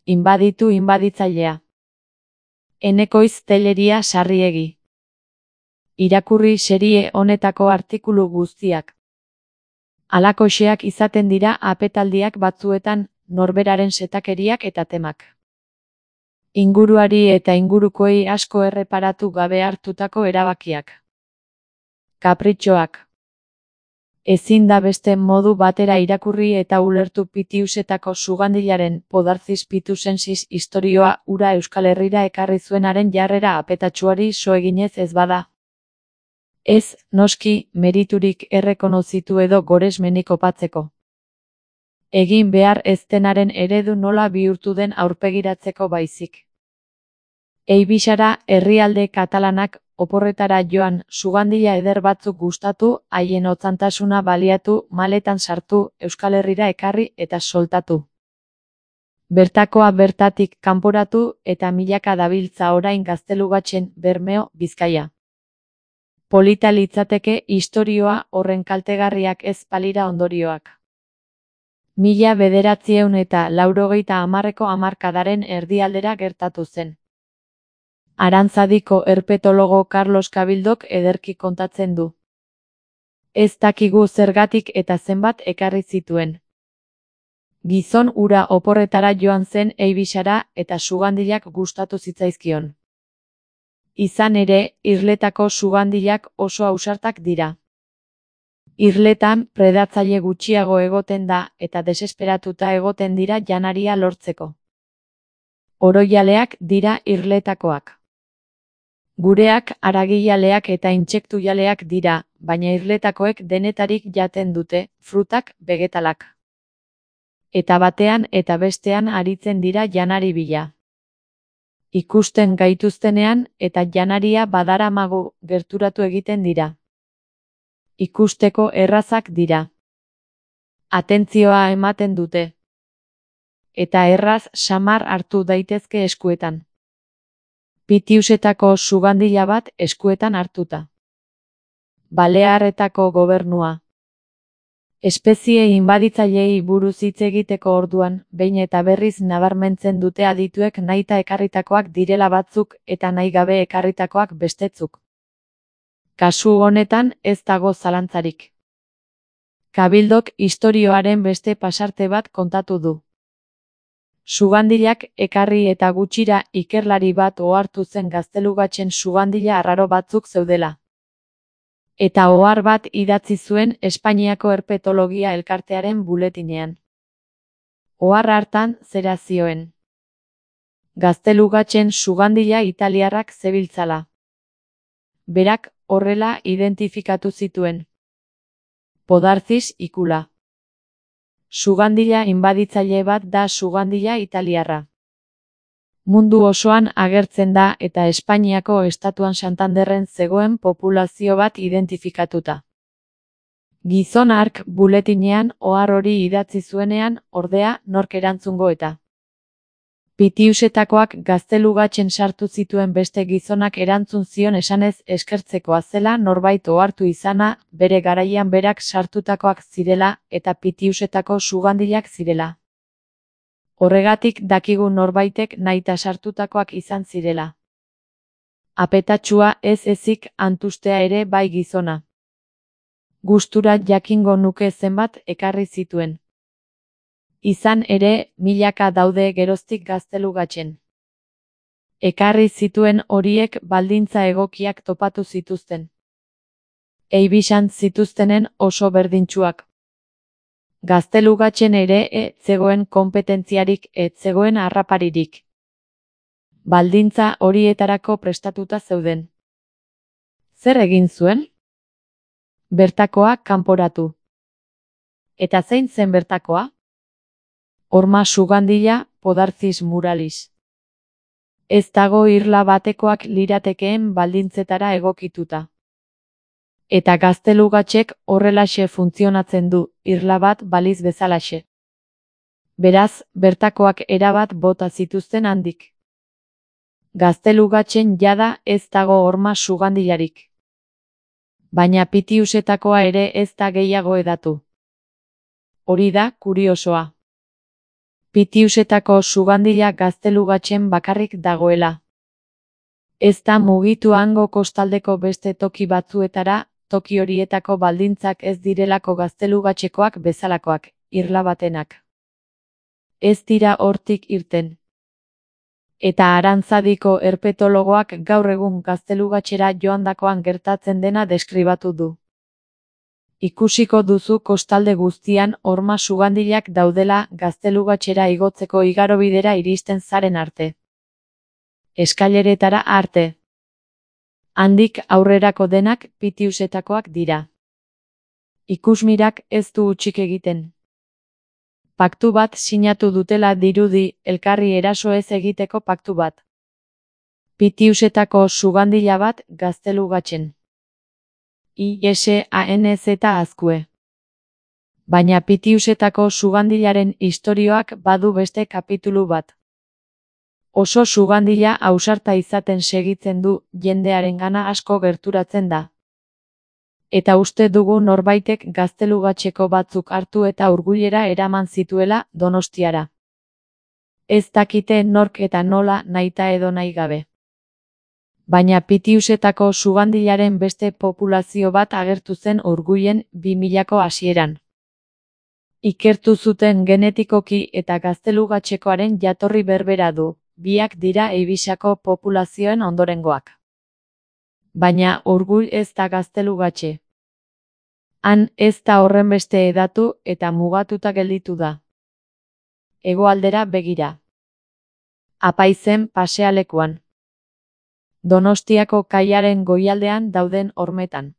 inbaditu inbaditzailea. Enekoiz Telleria Sarriegi. Irakurri serie honetako artikulu guztiak. Halakoxeak izaten dira apetaldiak batzuetan, norberaren setakeriak eta temak. Inguruari eta ingurukoei asko erreparatu gabe hartutako erabakiak. Kapritxoak. Ezin da beste modu batera irakurri eta ulertu Pitiusetako Sugandilaren Podarcis pitusensis istorioa ura Euskal Herrira ekarri zuenaren jarrera apetatsuari so eginez ez bada. Ez, noski, meriturik errekonozitu edo goresmenik opatzeko. Egin behar ez denaren eredu nola bihurtu den aurpegiratzeko baizik. Eibixara herrialde katalanak oporretara joan, Sugandila eder batzuk gustatu, haien otzantasuna baliatu, maletan sartu, Euskal Herrira ekarri eta soltatu. Bertakoa bertatik kanporatu eta milaka dabiltza orain Gaztelugatxen, Bermeo, Bizkaia. Polita litzateke istorioa horren kaltegarriak ez balira ondorioak. 1980ko hamarkadaren erdialdera gertatu zen. Arantzadiko herpetologo Carlos Cabildok ederki kontatzen du. Ez dakigu zergatik eta zenbat ekarri zituen. Gizon ura oporretara joan zen Eibixara eta Sugandilak gustatu zitzaizkion. Izan ere, irletako Sugandilak oso ausartak dira. Irletan predatzaile gutxiago egoten da eta desesperatuta egoten dira janaria lortzeko. Oroialeak dira irletakoak. Gureak aragijaleak eta intsektujaleak dira, baina irletakoek denetarik jaten dute, frutak, vegetalak. Eta batean eta bestean aritzen dira janari bila. Ikusten gaituztenean eta janaria badaramagu gerturatu egiten dira. Ikusteko errazak dira. Atentzioa ematen dute. Eta erraz samar hartu daitezke eskuetan. Pitiusetako Sugandila bat eskuetan hartuta. Balearretako gobernua. Espezie inbaditzailei buruz hitz egiteko orduan, behin eta berriz nabarmentzen dute adituek nahita ekarritakoak direla batzuk eta nahi gabe ekarritakoak bestetzuk. Kasu honetan ez dago zalantzarik. Cabildok istorioaren beste pasarte bat kontatu du. Sugandilak ekarri eta gutxira ikerlari bat ohartu zen Gaztelugatxen Sugandila arraro batzuk zeudela. Eta ohar bat idatzi zuen Espainiako Herpetologia Elkartearen buletinean. Ohar hartan zera zioen. Gaztelugatxen Sugandila italiarrak zebiltzala. Berak horrela identifikatu zituen. Podarcis ikula. Sugandila inbaditzaile bat da Sugandila italiarra. Mundu osoan agertzen da eta Espainiako estatuan Santanderren zegoen populazio bat identifikatuta. Gizon hark buletinean ohar hori idatzi zuenean, ordea, nork erantzungo eta. Pitiusetakoak Gaztelugatxen sartu zituen beste gizonak erantzun zion esanez eskertzekoa zela norbait ohartu izana, bere garaian berak sartutakoak zirela eta Pitiusetako Sugandilak zirela. Horregatik dakigu norbaitek nahita sartutakoak izan zirela. Apetatsua ez ezik antustea ere bai gizona. Gustura jakingo nuke zenbat ekarri zituen. Izan ere, milaka daude geroztik Gaztelugatxen. Ekarri zituen horiek baldintza egokiak topatu zituzten. Eibixan zituztenen oso berdintsuak. Gaztelugatxen ere ez zegoen konpetentziarik, ez zegoen harraparirik. Baldintza horietarako prestatuta zeuden. Zer egin zuen? Bertakoa kanporatu. Eta zein zen bertakoa? Horma Sugandila, Podarcis muralis. Ez dago irla batekoak liratekeen baldintzetara egokituta. Eta Gaztelugatxek horrelaxe funtzionatzen du, irla bat baliz bezalaxe. Beraz, bertakoak erabat bota zituzten handik. Gaztelugatxen jada ez dago horma Sugandilarik. Baina Pitiusetakoa ere ez da gehiago edatu. Hori da kuriosoa. Pitiusetako sugandila Gaztelugatxen bakarrik dagoela. Ez da mugitu hango kostaldeko beste toki batzuetara, toki horietako baldintzak ez direlako Gaztelugatxekoak bezalakoak, irla batenak. Ez dira hortik irten. Eta Arantzadiko herpetologoak gaur egun Gaztelugatxera joandakoan gertatzen dena deskribatu du. Ikusiko duzu kostalde guztian horma sugandilak daudela Gaztelugatxera igotzeko igarobidera iristen zaren arte. Eskaileretara arte. Handik aurrerako denak Pitiusetakoak dira. Ikusmirak ez du hutsik egiten. Paktu bat sinatu dutela dirudi, elkarri eraso ez egiteko paktu bat. Pitiusetako sugandila bat Gaztelugatxen. ISANZ azkue. Baina Pitiusetako sugandilaren istorioak badu beste kapitulu bat. Oso sugandila ausarta izaten segitzen du, jendearengana asko gerturatzen da. Eta uste dugu norbaitek Gaztelugatxeko batzuk hartu eta Urgullera eraman zituela Donostiara. Ez dakite nork eta nola nahita edo nahi gabe. Baina Pitiusetako sugandilaren beste populazio bat agertu zen Urgullen 2000ko hasieran. Ikertu zuten genetikoki eta Gaztelugatxekoaren jatorri berbera du, biak dira Eibisako populazioen ondorengoak. Baina Urgull ez da Gaztelugatxe. Han ez da horrenbeste hedatu eta mugatuta gelditu da. Hegoaldera begira. Apaizen pasealekuan. Donostiako kaiaren goialdean dauden hormetan.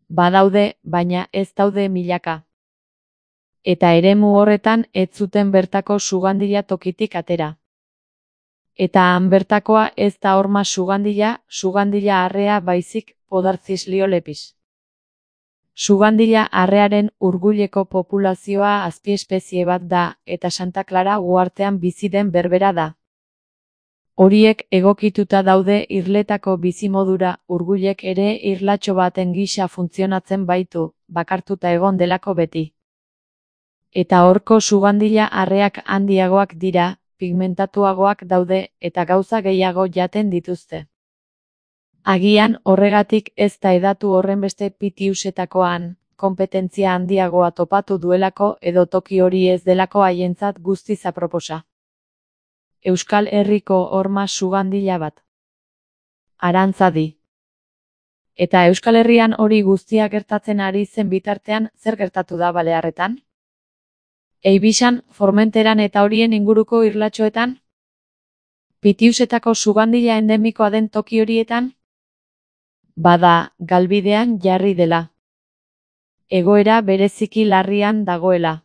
Badaude, baina ez daude milaka. Eta eremu horretan ez zuten bertako sugandila tokitik atera. Eta han bertakoa ez da horma sugandila arrea baizik Podarcis liolepis. Sugandila arrearen Urgulleko populazioa azpiespezie bat da, eta Santa Clara uhartean bizi den berbera da. Horiek egokituta daude irletako bizimodura, Urgullek ere irlatxo baten gisa funtzionatzen baitu, bakartuta egon delako beti. Eta horko sugandila arreak handiagoak dira, pigmentatuagoak daude eta gauza gehiago jaten dituzte. Agian horregatik ez da hedatu horrenbeste Pitiusetakoan, konpetentzia handiagoa topatu duelako edo toki hori ez delako haientzat guztiz aproposa. Euskal Herriko horma sugandila bat. Arantzadi. Eta Euskal Herrian hori guztia gertatzen ari zen bitartean zer gertatu da Balearretan? Eibisan, Formenteran eta horien inguruko irlatxoetan? Pitiusetako sugandila endemikoa den toki horietan? Bada, galbidean jarri dela. Egoera bereziki larrian dagoela.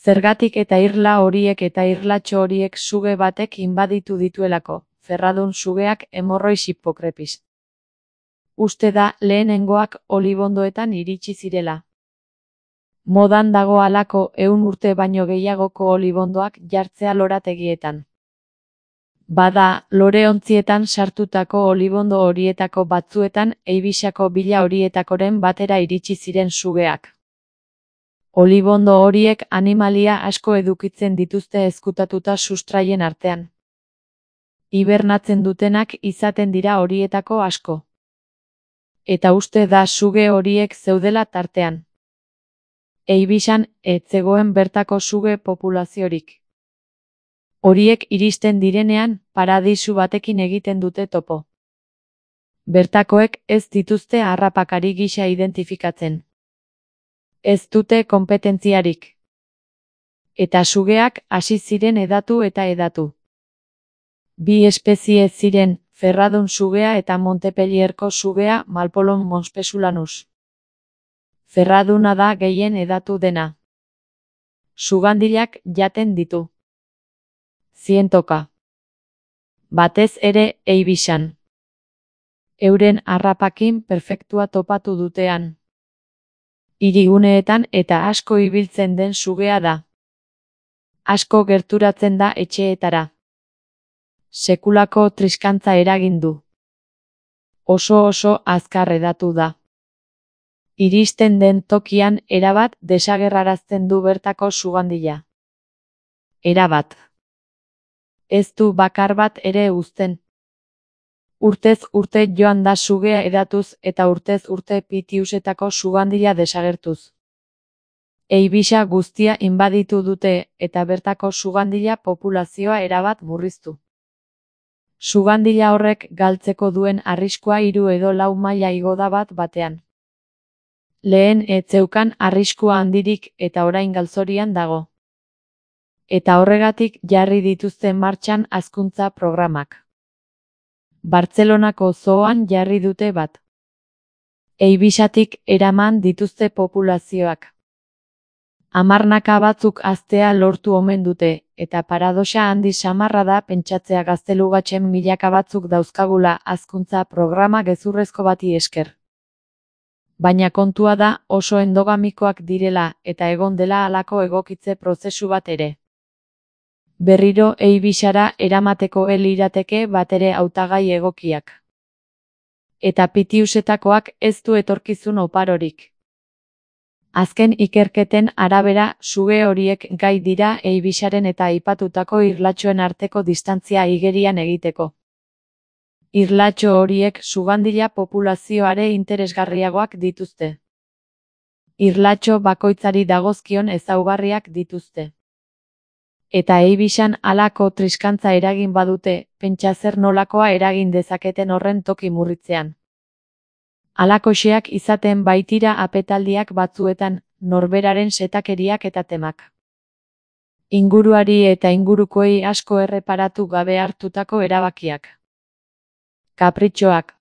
Zergatik eta irla horiek eta irlatxo horiek suge batek inbaditu dituelako, ferradun sugeak hemorrois hipokrepis. Uste da lehenengoak olibondoetan iritsi zirela. Modan dago halako 100 urte baino gehiagoko olibondoak jartzea lorategietan. Bada, loreontzietan sartutako olibondo horietako batzuetan Eibisako bila horietakoren batera iritsi ziren sugeak. Olibondo horiek animalia asko edukitzen dituzte ezkutatuta sustraien artean. Hibernatzen dutenak izaten dira horietako asko. Eta uste da suge horiek zeudela tartean. Eibisan ez zegoen bertako suge populaziorik. Horiek iristen direnean, paradisu batekin egiten dute topo. Bertakoek ez dituzte harrapakari gisa identifikatzen. Ez dute konpetentziarik. Eta sugeak hasi ziren hedatu eta hedatu. Bi espezie ziren, ferradun sugea eta Montpellierko sugea Malpolon monspesulanus. Ferraduna da gehien hedatu dena. Sugandilak jaten ditu. Zientoka. Batez ere Eibisan. Euren harrapakin perfektua topatu dutean. Hiriguneetan eta asko ibiltzen den sugea da. Asko gerturatzen da etxeetara. Sekulako triskantza eragin du. Oso azkar hedatu da. Iristen den tokian erabat desagerrarazten du bertako sugandila. Erabat. Ez du bakar bat ere uzten. Urtez urte joan da sugea edatuz eta urtez urte Pitiusetako sugandila desagertuz. Eibisa guztia inbaditu dute eta bertako sugandila populazioa erabat murriztu. Sugandila horrek galtzeko duen arriskua 3 edo 4 maila igo da bat batean. Lehen ez zeukan arriskua handirik eta orain galzorian dago. Eta horregatik jarri dituzte martxan hazkuntza programak. Bartzelonako zooan jarri dute bat. Eibisatik eraman dituzte populazioak. Hamarnaka batzuk haztea lortu omen dute, eta paradoxa handi samarra da pentsatzea gaztelugatxen milaka batzuk dauzkagula hazkuntza programa gezurrezko bati esker. Baina kontua da oso endogamikoak direla eta egon dela halako egokitze prozesu bat ere. Berriro Eibisara eramateko lirateke batere hautagai egokiak. Eta Pitiusetakoak ez du etorkizun oparorik. Azken ikerketen arabera suge horiek gai dira Eibisaren eta aipatutako irlatxoen arteko distantzia igerian egiteko. Irlatxo horiek sugandila populazioare interesgarriagoak dituzte. Irlatxo bakoitzari dagozkion ezaugarriak dituzte. Eta Eibisan halako triskantza eragin badute, pentsa zer nolakoa eragin dezaketen horren toki murritzean. Halakoxeak izaten baitira apetaldiak batzuetan, norberaren setakeriak eta temak. Inguruari eta ingurukoei asko erreparatu gabe hartutako erabakiak. Kapritxoak.